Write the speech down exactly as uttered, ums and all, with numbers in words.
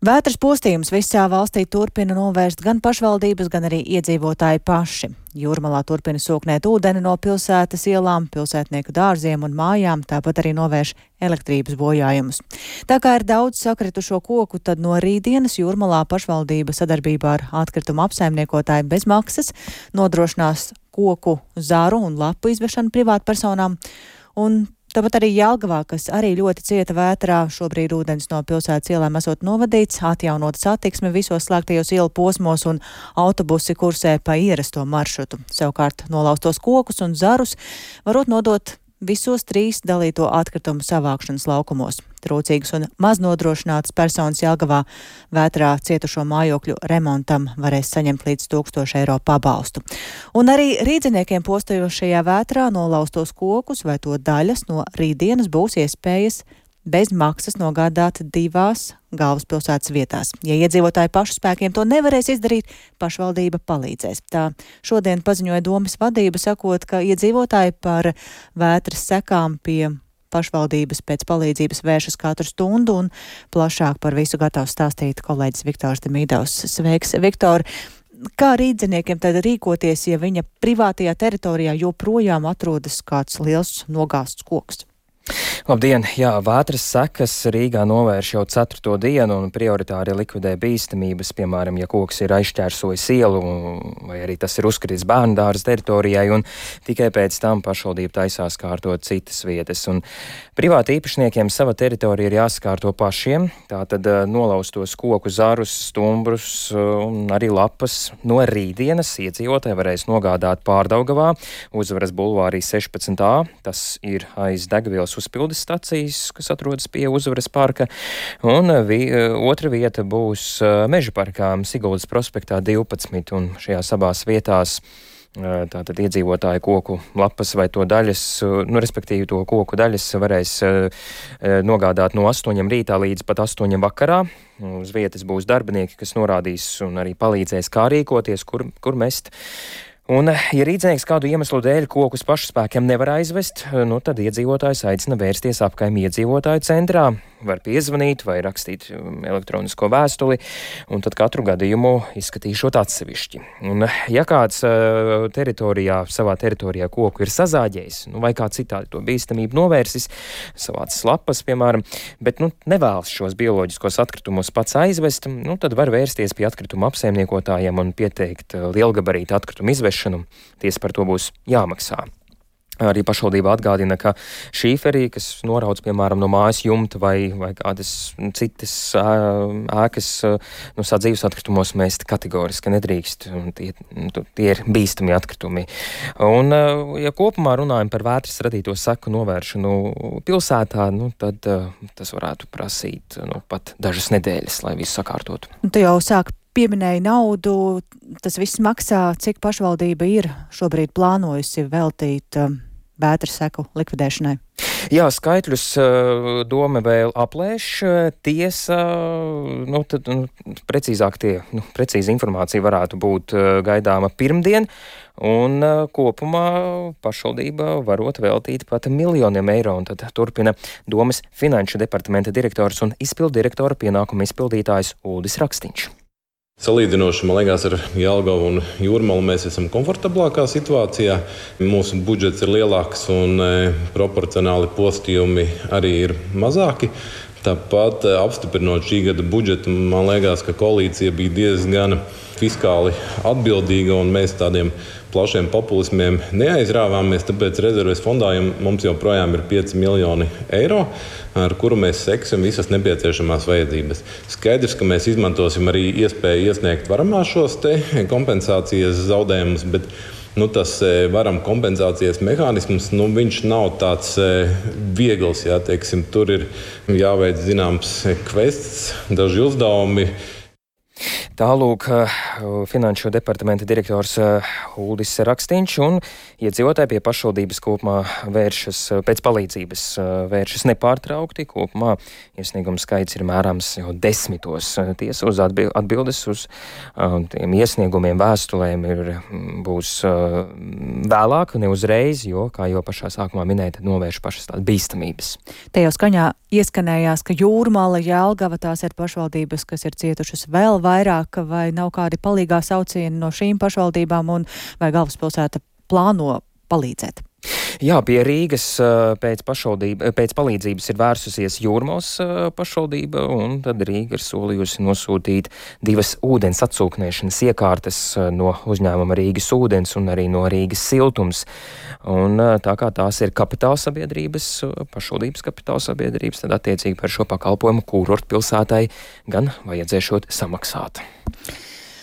Vētras postījums visā valstī turpina novērst gan pašvaldības, gan arī iedzīvotāji paši. Jūrmalā turpina sūknēt ūdeni no pilsētas ielām, pilsētnieku dārziem un mājām, tāpat arī novērš elektrības bojājumus. Tā kā ir daudz sakritušo koku, tad no rītdienas Jūrmalā pašvaldība sadarbībā ar atkritumu apsaimniekotāju bez maksas nodrošinās koku zaru un lapu izvešanu privātpersonām. Un tāpat arī Jelgavā, kas arī ļoti cieta vētrā, šobrīd ūdens no pilsētas ielām esot novadīts, atjaunota satiksme visos slēgtajos ielu posmos un autobusi kursē pa ierasto maršrutu. Savukārt nolaustos kokus un zarus varot nodot visos trīs dalīto atkritumu savākšanas laukumos. Trūcīgas un maz nodrošinātas personas Jelgavā vētrā cietušo mājokļu remontam varēs saņemt līdz tūkstošu eiro pabalstu. Un arī rīdziniekiem postojošajā vētrā nolaustos kokus vai to daļas no rītdienas būs iespējas bez maksas nogādāt divās galvaspilsētas vietās. Ja iedzīvotāji pašu spēkiem to nevarēs izdarīt, pašvaldība palīdzēs. Tā šodien paziņoja domas vadība, sakot, ka iedzīvotāji par vētras sekām pie pašvaldības pēc palīdzības vēršas katru stundu, un plašāk par visu gatavs stāstīt kolēģis Viktors Demīdovs. Sveiks, Viktor! Kā rīdziniekiem tad rīkoties, ja viņa privātajā teritorijā joprojām atrodas kāds liels nogāsts koks? Labdien! Jā, vētras sekas Rīgā novērš jau ceturto dienu un prioritāri likvidē bīstamības, piemēram, ja koks ir aizšķērsojis ielu vai arī tas ir uzkritis bērnu dārza teritorijai, un tikai pēc tam pašvaldība taisās kārtot citas vietas. Un privāti īpašniekiem sava teritorija ir jāsakārto pašiem, tātad nolaustos koku zarus, stumbrus un arī lapas no rītdienas iedzīvotāji varēs nogādāt Pārdaugavā, Uzvaras bulvārī sešpadsmit A, tas ir aiz degvielas uzpildes stacijas, kas atrodas pie Uzvaras parka, un vi, otra vieta būs Meža parkā Siguldas prospektā divpadsmit, un šajās abās vietās tātad iedzīvotāji koku lapas vai to daļas, nu, respektīvi to koku daļas varēs nogādāt no astoņiem rītā līdz pat astoņiem vakarā. Uz vietas būs darbinieki, kas norādīs un arī palīdzēs, kā rīkoties, kur, kur mest. Un, ja rīdznieks kādu iemeslu dēļ kokus pašspēkiem nevar aizvest, nu, tad iedzīvotājs aicina vērsties apkaimju iedzīvotāju centrā, var piezvanīt vai rakstīt elektronisko vēstuli, un tad katru gadījumu izskatīšot atsevišķi. Un, ja kāds uh, teritorijā, savā teritorijā koku ir sazāģējis, nu, vai kā citādi to bīstamību novērsis, savācis lapas, piemēram, bet nu, nevēlas šos bioloģiskos atkritumus pats aizvest, nu, tad var vērsties pie atkrituma apsaimniekotājiem un pieteikt lielgabarīta atkritumu izvešanu. Tiesa par to būs jāmaksā. Arī pašvaldība atgādina, ka šīferī, kas norauc, piemēram, no mājas jumta vai, vai kādas citas ēkas, nu, sadzīves atkritumos mest kategoriski nedrīkst. Tie, tie ir bīstami atkritumi. Un, ja kopumā runājam par vētras radīto seku novēršanu pilsētā, nu, tad tas varētu prasīt nu, pat dažas nedēļas, lai visu sakārtotu. Tu jau sāk pieminēja naudu, tas viss maksā, cik pašvaldība ir šobrīd plānojusi veltīt um, vētras seku likvidēšanai? Jā, skaitļus uh, doma vēl aplēš, tiesa, nu, tad, nu, precīzāk tie, nu, precīzi informācija varētu būt uh, gaidāma pirmdien, un uh, kopumā pašvaldība varot veltīt pat miljoniem eiro, un tad turpina domas finanšu departamenta direktors un izpildirektora pienākuma izpildītājs Uldis Rakstiņš. Salīdzinoši, man liekas, ar Jelgavu un Jūrmalu mēs esam komfortablākā situācijā. Mūsu budžets ir lielāks un e, proporcionāli postījumi arī ir mazāki. Tāpat apstiprinot šī gada budžetu, man liekas, ka koalīcija bija diezgan fiskāli atbildīga un mēs tādiem plašiem populismiem neaizrāvāmies, tāpēc rezerves fondā mums joprojām ir pieci miljoni eiro, ar kuru mēs seksim visas nepieciešamās vajadzības. Skaidrs, ka mēs izmantosim arī iespēju iesniegt varamā šos te kompensācijas zaudējumus, bet nu, tas varam kompensācijas mehānisms, nu, viņš nav tāds viegls, jā, teiksim, tur ir jāveic zināms kvests, daži uzdevumi. Tālūk, Finanšu departamenta direktors Uldis Rakstiņš un iedzīvotāji pie pašvaldības kopumā vēršas pēc palīdzības, vēršas nepārtraukti. Kopumā iesniegums skaits ir mērāms jau desmitos. Tiesa uz atbildes uz tiem iesniegumiem, vēstulēm ir būs vēlāk, ne uzreiz, jo, kā jau pašā sākumā minēja, novērš pašas tās bīstamības. Te jau skaņā ieskanējās, ka Jūrmala, Jelgava, tās ir pašvaldības, kas ir cietušas vēl vairāk, vai nav kādi palīgā saucieni no šīm pašvaldībām un vai galvaspilsēta plāno palīdzēt? Jā, pie Rīgas pēc, pēc palīdzības ir vērsusies Jūrmalas pašvaldība, un tad Rīga ir solījusi nosūtīt divas ūdens atsūknēšanas iekārtas no uzņēmuma Rīgas ūdens un arī no Rīgas siltums. Un tā kā tās ir kapitāla sabiedrības, pašvaldības kapitāla sabiedrības, tad attiecīgi par šo pakalpojumu kurortu pilsētai gan vajadzēšot samaksāt.